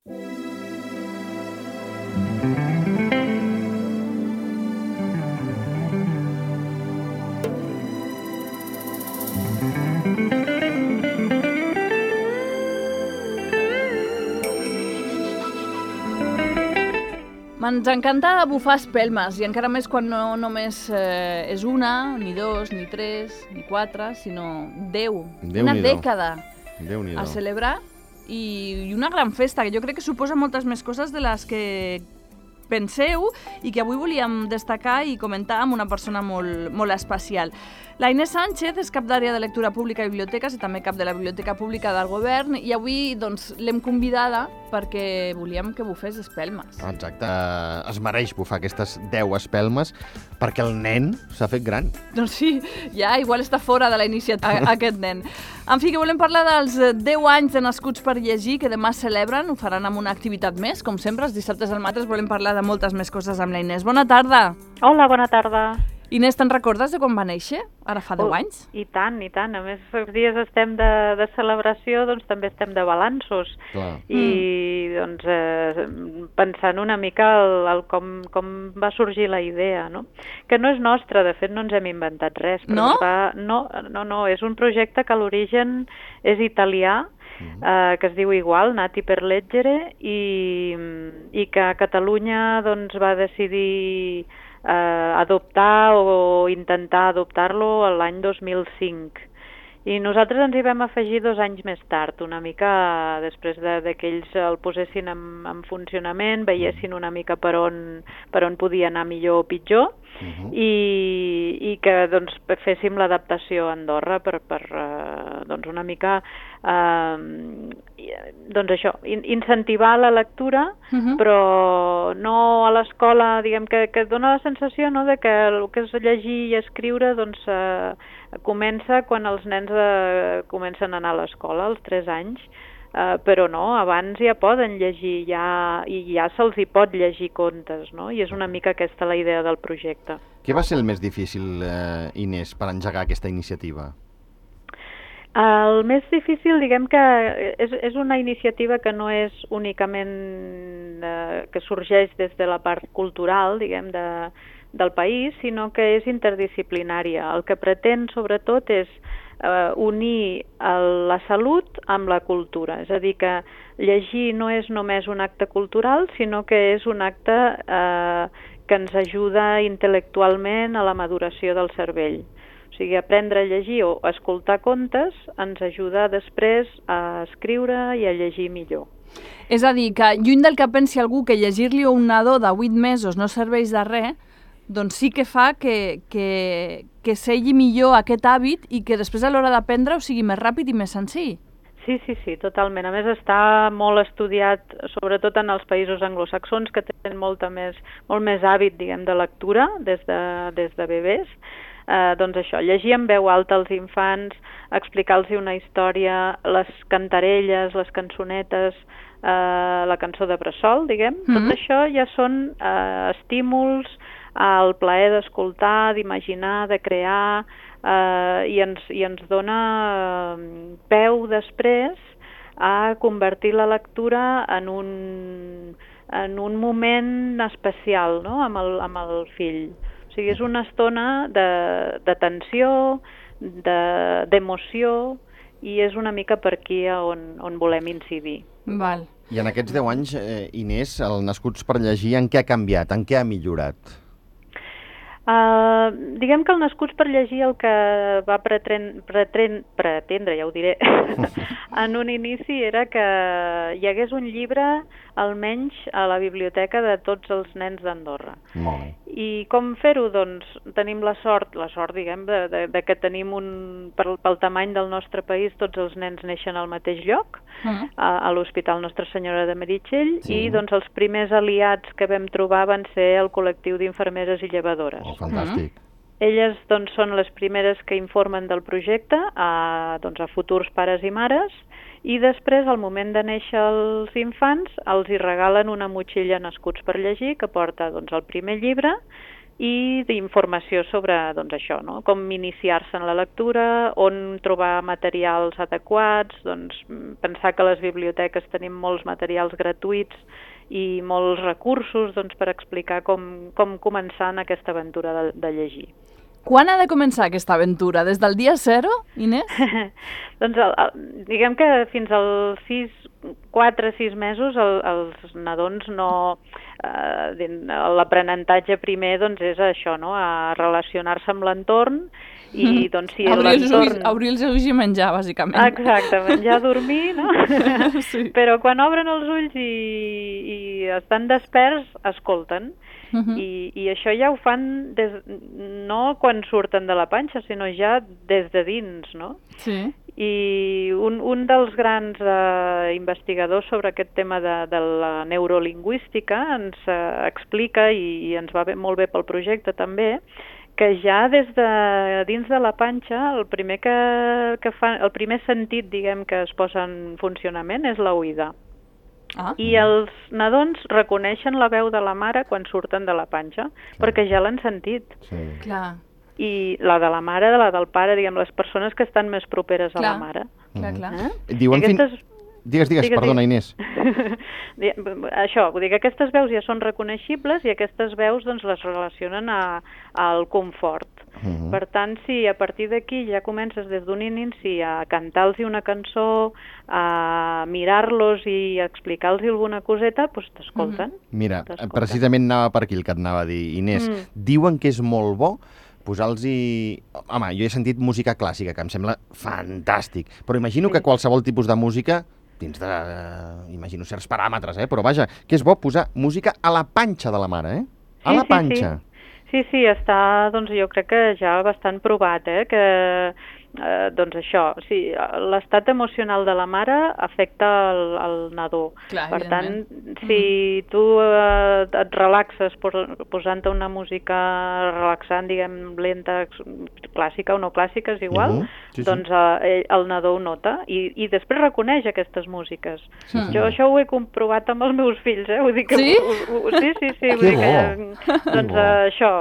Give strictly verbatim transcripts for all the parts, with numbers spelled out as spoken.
Ens encanta bufar espelmes, i encara més quan no només eh, és una, ni dos, ni tres, ni quatre, sinó deu. Una dècada a celebrar i, i una gran festa, que jo crec que suposa moltes més coses de les que penseu i que avui volíem destacar i comentar amb una persona molt, molt especial. La Inés Sánchez és cap d'àrea de lectura pública i biblioteques i també cap de la Biblioteca Pública del Govern, i avui doncs, l'hem convidada perquè volíem que bufés espelmes. Exacte, es mereix bufar aquestes deu espelmes perquè el nen s'ha fet gran. Doncs sí, ja igual està fora de la iniciativa aquest nen. En fi, que volem parlar dels deu anys de Nascuts per Llegir, que demà celebren, ho faran amb una activitat més, com sempre, els dissabtes al matí volem parlar de moltes més coses amb la Inés. Bona tarda! Hola, bona tarda! Inés, te'n recordes de quan va néixer? Ara fa deu anys? I tant, i tant. A més, els dies estem de, de celebració, doncs també estem de balanços. Clar. I mm. doncs eh, pensant una mica el, el com, com va sorgir la idea, no? Que no és nostra, de fet no ens hem inventat res. Però no? Va, no? No, no, és un projecte que a l'origen és italià, mm. eh, que es diu igual, Nati per Leggere, i, i que a Catalunya doncs, va decidir Eh, adoptar o intentar adoptar-lo l'any dos mil cinc. I nosaltres ens hi vam afegir dos anys més tard, una mica després de, de que ells el posessin en, en funcionament, veiessin una mica per on, per on podia anar millor o pitjor, uh-huh. i, i que doncs, féssim l'adaptació a Andorra per, per uh, doncs una mica uh, doncs això, in, incentivar la lectura, uh-huh. però no a l'escola, diguem que, que dona la sensació, no, de que el que és llegir i escriure doncs, uh, comença quan els nens eh, comencen a anar a l'escola, als tres anys, eh, però no, abans ja poden llegir, ja, i ja se'ls hi pot llegir contes, no? I és una mica aquesta la idea del projecte. Què va ser el més difícil, eh, Inés, per engegar aquesta iniciativa? El més difícil, diguem que és, és una iniciativa que no és únicament eh, que sorgeix des de la part cultural, diguem, de del país, sinó que és interdisciplinària. El que pretén, sobretot, és eh, unir el, la salut amb la cultura. És a dir, que llegir no és només un acte cultural, sinó que és un acte eh, que ens ajuda intel·lectualment a la maduració del cervell. O sigui, aprendre a llegir o escoltar contes ens ajuda després a escriure i a llegir millor. És a dir, que lluny del que pensi algú que llegir-li a un nadó de vuit mesos no serveix de res, doncs sí que fa que, que, que segui millor aquest hàbit i que després a l'hora d'aprendre ho sigui més ràpid i més senzill. Sí, sí, sí, totalment. A més està molt estudiat, sobretot en els països anglosaxons, que tenen molta més, molt més hàbit, diguem, de lectura des de, des de bebès. Eh, doncs això, llegir en veu alta als infants, explicar-los una història, les cantarelles, les cançonetes, eh, la cançó de bressol, diguem, mm-hmm. tot això ja són eh, estímuls al plaer d'escoltar, d'imaginar, de crear, eh, i, ens, i ens dona eh, peu després a convertir la lectura en un, en un moment especial, no?, amb el, amb el fill. O sigui, és una estona de, de tensió, de, d'emoció, i és una mica per aquí on, on volem incidir. Val. I en aquests deu anys, eh, Inés, el Nascuts per Llegir, en què ha canviat, en què ha millorat? Uh, diguem que el Nascuts per Llegir el que va pretren, pretren, pretendre, ja ho diré, en un inici era que hi hagués un llibre almenys a la biblioteca de tots els nens d'Andorra. Molt bé. I com fer-ho? Doncs tenim la sort, la sort, diguem, de, de, de que tenim un, pel, pel tamany del nostre país, tots els nens neixen al mateix lloc, uh-huh. a, a l'Hospital Nostra Senyora de Meritxell, sí. I doncs els primers aliats que vam trobar van ser el col·lectiu d'infermeres i llevadores. Oh, fantàstic. Uh-huh. Elles doncs, són les primeres que informen del projecte a, doncs, a futurs pares i mares, i després, al moment de néixer els infants, els hi regalen una motxilla Nascuts per Llegir que porta doncs, el primer llibre i d'informació sobre doncs, això, no? Com iniciar-se en la lectura, on trobar materials adequats, doncs, pensar que a les biblioteques tenim molts materials gratuïts i molts recursos doncs, per explicar com, com començar en aquesta aventura de, de llegir. Quan ha de començar aquesta aventura? Des del dia zero, Inés? doncs el, el, diguem que fins als sis, quatre o sis mesos el, els nadons no... Eh, l'aprenentatge primer doncs, és això, no? A relacionar-se amb l'entorn i doncs si l'entorn... Obrir els ulls i menjar, bàsicament. Exacte, menjar, dormir, no? Sí. Però quan obren els ulls i, i estan desperts, escolten. Uh-huh. I, I això ja ho fan des, no quan surten de la panxa, sinó ja des de dins, no? Sí. I un, un dels grans eh, investigadors sobre aquest tema de, de la neurolingüística ens eh, explica, i, i ens va bé, molt bé pel projecte també, que ja des de dins de la panxa el primer, que, que fa, el primer sentit, diguem, que es posa en funcionament és l'oïda. Ah. I els nadons reconeixen la veu de la mare quan surten de la panxa, sí. perquè ja l'han sentit. Sí. Clar. I la de la mare, la del pare, diguem, les persones que estan més properes clar. a la mare. Clar, clar. Eh? Diuen aquestes... fin... Digues, digues, digues, perdona, Inés. Això, vull dir que aquestes veus ja són reconeixibles i aquestes veus doncs, les relacionen a, al confort. Uh-huh. Per tant, si a partir d'aquí ja comences des d'un inici a cantar-los una cançó, a mirar-los i a explicar-los alguna coseta, doncs t'escolten. Uh-huh. Mira, precisament anava per aquí el que et anava a dir, Inés. Mm. Diuen que és molt bo posar-los-hi... Home, jo he sentit música clàssica, que em sembla fantàstic, però imagino sí. que qualsevol tipus de música, dins de, uh, imagino, certs paràmetres, eh? Però vaja, que és bo posar música a la panxa de la mare, eh? A sí, la panxa. Sí, sí. sí, sí, està, doncs jo crec que ja bastant provat, eh? Que... Eh, doncs això, sí, l'estat emocional de la mare afecta el, el nadó. Clar, per tant, si mm. tu eh, et relaxes posant-te una música relaxant, diguem, lenta, clàssica o no clàssica, és igual, uh-huh. sí, sí. doncs eh, el nadó ho nota i, i després reconeix aquestes músiques. Sí, sí. Jo això ho he comprovat amb els meus fills, eh? Vull dir que, sí? Ho, ho, sí, sí, sí. Vull dir que, doncs eh, això...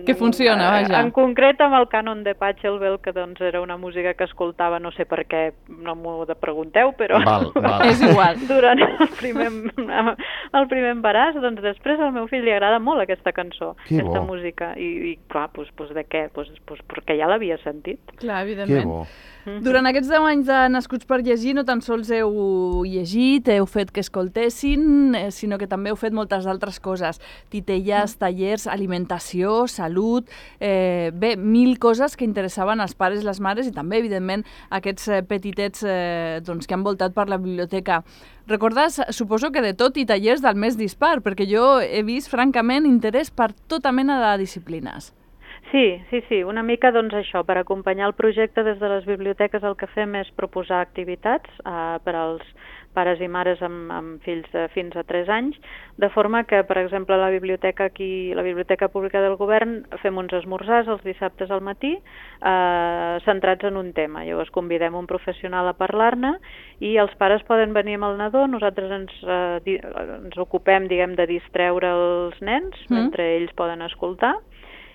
Que funciona, eh, vaja. En concret amb el cànon de Pachelbel, que doncs era una una música que escoltava, no sé per què, no m'ho pregunteu, però val, val. És igual. Durant el primer, el primer embaràs, doncs després al meu fill li agrada molt aquesta cançó, que aquesta bo. música, i, i clar, doncs, doncs de què? Doncs, doncs perquè ja l'havia sentit. Clar, evidentment. Que bo. Durant aquests deu anys de Nascuts per llegir no tan sols heu llegit, heu fet que escoltessin, sinó que també heu fet moltes altres coses. Titelles, tallers, alimentació, salut, eh, bé, mil coses que interessaven als pares i les mares i també, evidentment, aquests eh, petitets eh, doncs, que han voltat per la biblioteca. Recordes, suposo que de tot i tallers del més dispar, perquè jo he vist, francament, interès per tota mena de disciplines. Sí, sí, sí, una mica doncs això, per acompanyar el projecte des de les biblioteques el que fem és proposar activitats eh, per als pares i mares amb, amb fills de fins a tres anys, de forma que, per exemple, la biblioteca aquí, la Biblioteca Pública del Govern, fem uns esmorzars els dissabtes al matí eh, centrats en un tema. Llavors convidem un professional a parlar-ne i els pares poden venir amb el nadó, nosaltres ens, eh, di, ens ocupem, diguem, de distreure els nens mm. mentre ells poden escoltar,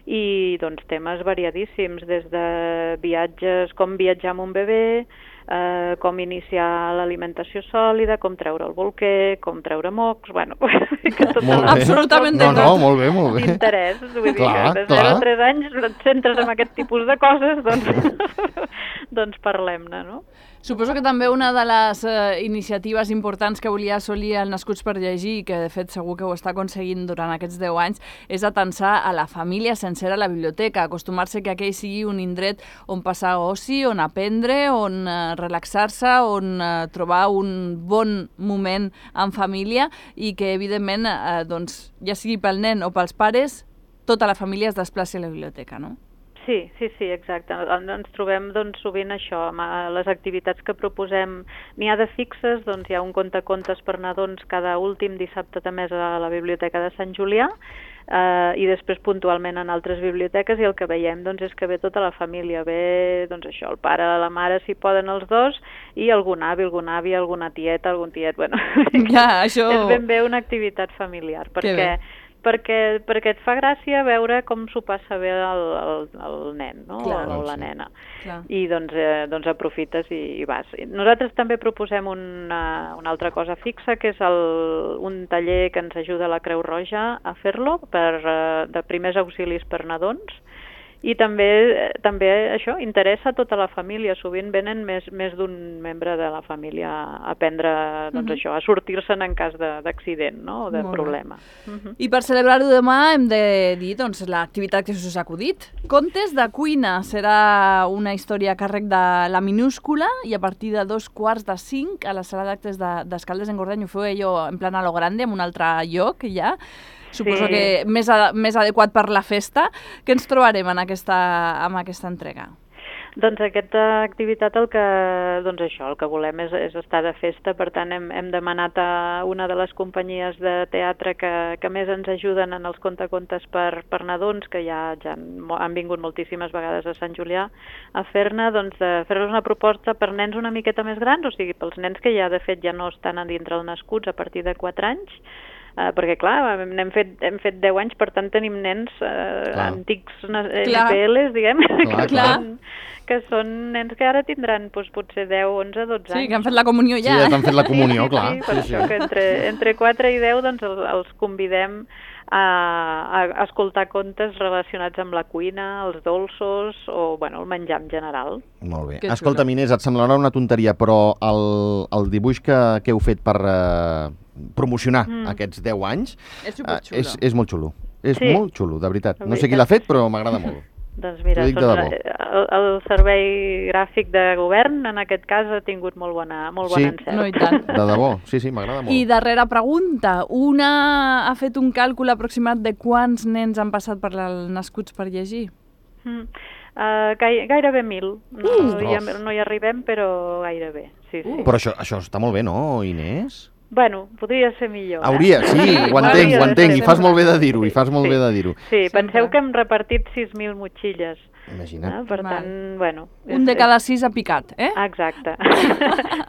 i doncs temes variadíssims, des de viatges, com viatjar amb un bebè, eh, com iniciar l'alimentació sòlida, com treure el bolquer, com treure mocs, bueno, que tot absolutament no, no, molt bé, molt bé. D'interès, vull dir clar, que de zero a tres anys et centres en aquest tipus de coses, doncs, doncs parlem-ne, no? Suposo que també una de les eh, iniciatives importants que volia assolir el Nascuts per llegir, que de fet segur que ho està aconseguint durant aquests deu anys, és atensar a la família sencera a la biblioteca, acostumar-se que aquell sigui un indret on passar oci, on aprendre, on eh, relaxar-se, on eh, trobar un bon moment en família i que, evidentment, eh, doncs, ja sigui pel nen o pels pares, tota la família es desplaci a la biblioteca, no? Sí, sí, sí, exacte. Ens trobem doncs, sovint això, amb les activitats que proposem. N'hi ha de fixes, doncs hi ha un contacontes per nadons cada últim dissabte de mes a la Biblioteca de Sant Julià eh, i després puntualment en altres biblioteques, i el que veiem doncs, és que ve tota la família, ve doncs, això, el pare, la mare, si poden els dos, i algun avi, algun avi, alguna tieta, algun tiet, bueno, ja, això... és ben bé una activitat familiar, perquè perquè, perquè et fa gràcia veure com s'ho passa bé el, el, el nen, no? Clar, o, o la sí. nena. Clar. I doncs, eh, doncs aprofites i, i vas. Nosaltres també proposem una, una altra cosa fixa, que és el, un taller que ens ajuda la Creu Roja a fer-lo, per, eh, de primers auxilis per nadons, i també, també això interessa a tota la família. Sovint venen més, més d'un membre de la família a aprendre doncs, Mhm. això, a sortir-se'n en cas d'accident, no? o de Molt bé. problema. Mhm. I per celebrar-ho demà hem de dir doncs, l'activitat que us ha acudit. Contes de cuina serà una història a càrrec de La Minúscula i a partir de dos quarts de cinc a la sala d'actes de- d'Escaldes en Gordany. Ho feu allò en plan a lo grande, en un altre lloc ja. Suposo Sí. que més, a, més adequat per la festa. Què ens trobarem en aquesta, amb aquesta entrega? Doncs aquesta activitat el que, doncs això, el que volem és, és estar de festa, per tant hem, hem demanat a una de les companyies de teatre que, que més ens ajuden en els contacontes per, per nadons, que ja, ja han, han vingut moltíssimes vegades a Sant Julià a fer-ne, doncs de fer-los una proposta per nens una miqueta més grans, o sigui, pels nens que ja de fet ja no estan a dintre els nascuts a partir de quatre anys, Uh, perquè, clar, hem fet, hem fet deu anys, per tant tenim nens uh, antics N P Ls, diguem, clar, que, clar. són, que són nens que ara tindran doncs, potser deu, onze, dotze anys. Sí, que han fet la comunió ja. Sí, ja t'han fet la comunió, sí, clar. Sí, per Sí, això sí. que entre, entre quatre i deu doncs, els, els convidem a, a escoltar contes relacionats amb la cuina, els dolços o bueno, el menjar en general. Molt bé. Que Escolta, xulo. Inés, et semblarà una tonteria, però el, el dibuix que, que heu fet per eh, promocionar mm. aquests deu anys És eh, superxulo. és, és molt xulo. És Sí. molt xulo, de veritat. De No sé qui veritat. l'ha fet, però m'agrada molt. Doncs mira, T'ho dic de són, debò. el, el servei gràfic de govern en aquest cas ha tingut molt bona, molt bon Sí. encert. No, i tant. De debò, sí, sí, m'agrada molt. I darrera pregunta. Una ha fet un càlcul aproximat de quants nens han passat per la Nascuts per llegir? Mm. Uh, gai, gairebé mil. No, Uh! hi, no hi arribem, però gairebé. Sí, sí. Uh. Però això, això està molt bé, no, Inés? Bueno, podria ser millor. Hauria, eh? sí, ho entenc, Hauria ho de entenc, ser i fas molt bé de més. dir-ho, i fas molt Sí. bé de dir-ho. Sí, penseu Sempre. que hem repartit sis mil motxilles. Imagina't. Eh? Per Val. tant, bueno... Un de cada sis ha picat, eh? Exacte.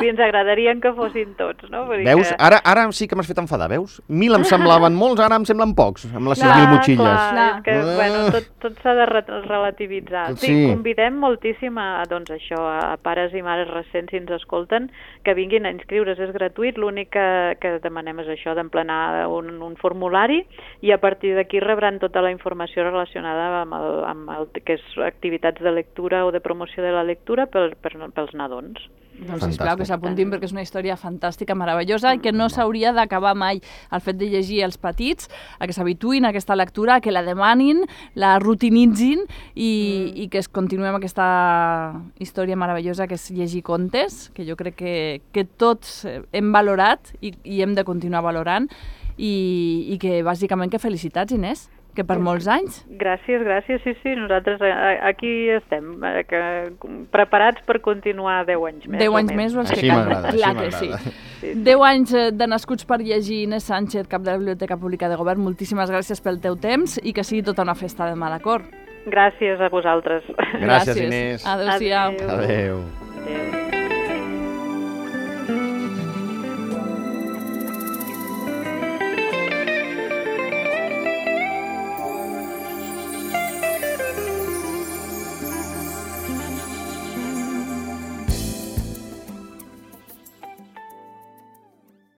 I ens agradarien que fossin tots, no? Vull dir Veus? que... Ara, ara sí que m'has fet enfadar, veus? Mil em semblaven molts, ara em semblen pocs, amb les sis Clar, mil motxilles. Clar, Clar. és que, Ah. bueno, tot, tot s'ha de re- relativitzar. Sí, Sí. convidem moltíssim a, doncs això, a pares i mares recents, si ens escolten, que vinguin a inscriure's, és gratuït, l'únic que, que demanem és això, d'emplenar un, un formulari, i a partir d'aquí rebran tota la informació relacionada amb el, amb el que és activitats de lectura o de promoció de la lectura per, per, pels nadons. Doncs sisplau, que Fantàstic. s'apuntin perquè és una història fantàstica, meravellosa i que no s'hauria d'acabar mai. El fet de llegir els petits, a que s'habituïn a aquesta lectura, a que la demanin, la rutinitzin i, mm. i que es continuem aquesta història meravellosa que és llegir contes, que jo crec que, que tots hem valorat i, i hem de continuar valorant i, i que bàsicament que felicitats, Inés, que per molts anys. Gràcies, gràcies, sí, sí, nosaltres aquí estem, eh, que, preparats per continuar deu anys més. Deu o anys menys. més o els Així que calgui. m'agrada, així Clar que sí. m'agrada. Sí, sí. Deu anys eh, de Nascuts per llegir, Inés Sánchez, cap de la Biblioteca Pública de Govern. Moltíssimes gràcies pel teu temps i que sigui tota una festa demà, d'acord? Gràcies a vosaltres. Gràcies, Inés. Adéu-siau. Adéu. Adéu. Adéu.